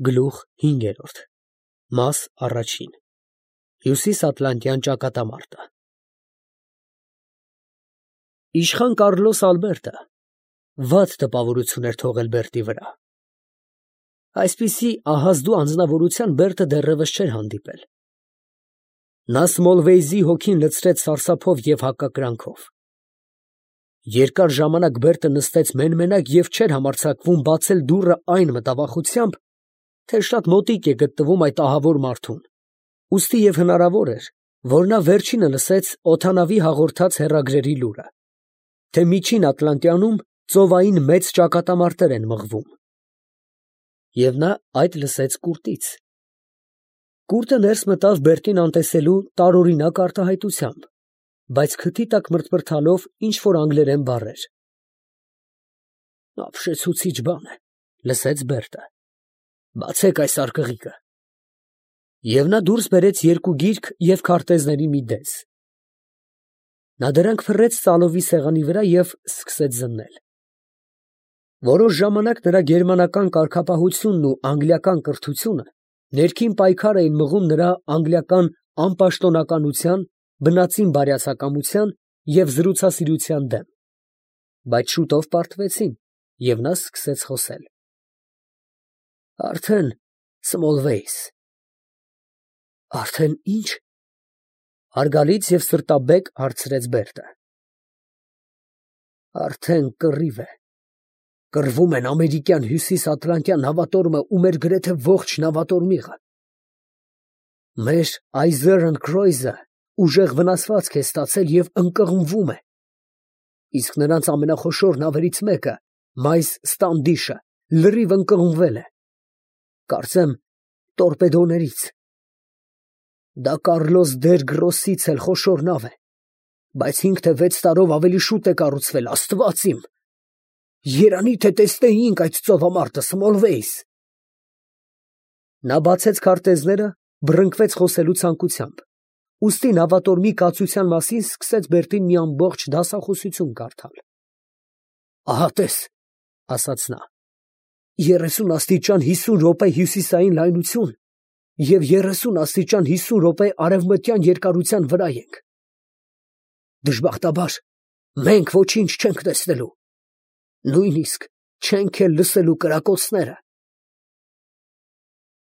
Գլուխ 5 Մաս առաջին Հյուսիսատլանտյան ճակատամարտը Իշխան Կառլոս Ալբերտը վատ տպավորություն էր թողել Բերտի վրա։ Այսպիսի ահազդու անձնավորության Բերտը դեռևս չէր հանդիպել։ Նա Սմոլվեյզի հոգին լցրեց սարսափով և հակակրանքով։ Երկար ժամանակ Բերտը նստեց մեն֊մենակ և չէր համարձակվում բացել դուռը այն մտավախությամբ, թե շատ մոտիկ է գտնվում այդ ահավոր մարդուն, ուստի և հնարավոր էր, որ նա վերջինը լսեց օդանավի հաղորդած հեռագրերի լուրը, թե Միջին Ատլանտյանում ծովային մեծ ճակատամարտեր են մղվում։ Եվ նա այդ լսեց կուրտից։ Կուրտը ներս մտավ Բերտին անտեսելու տարօրինակ արտահայտությամբ, բայց քթի տակ մրթմրթալով ինչ֊որ անգլերեն բառեր։ «Ապշեցուցիչ բան է», լսեց Բերտը։ «Բացեք այս արկղիկը»։ Եվ նա դուրս բերեց երկու գիրք և քարտեզների մի դես։ Նա դրանք փռեց ծալովի սեղանի վրա և սկսեց զննել։ Որոշ ժամանակ նրա գերմանական կարգապահությունն ու անգլիական կրթությունը ներքին պայքար էին մղում նրա անգլիական անպաշտոնականության, բնածին բարյացակամության և զրուցասիրության դեմ, բայց շուտով պարտվեցին, և նա սկսեց խոսել։ Արդեն Սմոլվեյս։ Արդեն ի՞նչ։ Հարգալից և սրտաբեկ հարցրեց Բերտը։ Արդեն կռիվ է։ Կռվում են ամերիկյան հյուսիսատլանտյան նավատորմը ու մեր գրեթե ողջ նավատորմիղը։ Մեր Այզերն քրոյզը ուժեղ վնասվածք է ստացել և ընկղմվում է, իսկ նրանց ամենախոշոր նավերից մեկը, մայս Ստանդիշը, լրիվ ընկղմվել է, կարծեմ տորպեդոներից։ Դա Կառլոս դեր Գրոսից էլ խոշոր նավ է, բայց 5 թե 6 տարով ավելի շուտ է կառուցվել, Աստված իմ։ Երանի թե տեսնեինք այդ ծովամարտը, Սմոլվեյս։ Նա բացեց քարտեզները, բռնկվեց խոսելու ցանկությամբ, ուստի նավատորմի կացության մասին սկսեց Բերտին մի ամբողջ դասախոսություն կարդալ։ Ահա տես, ասաց նա, 30 աստիճան 50 րոպե հյուսիսային լայնություն և 30 աստիճան 50 րոպե արևմտյան երկարության վրա ենք։ Դժբախտաբար, մենք ոչինչ չենք տեսնելու, նույնիսկ չենք էլ լսելու կրակոցները։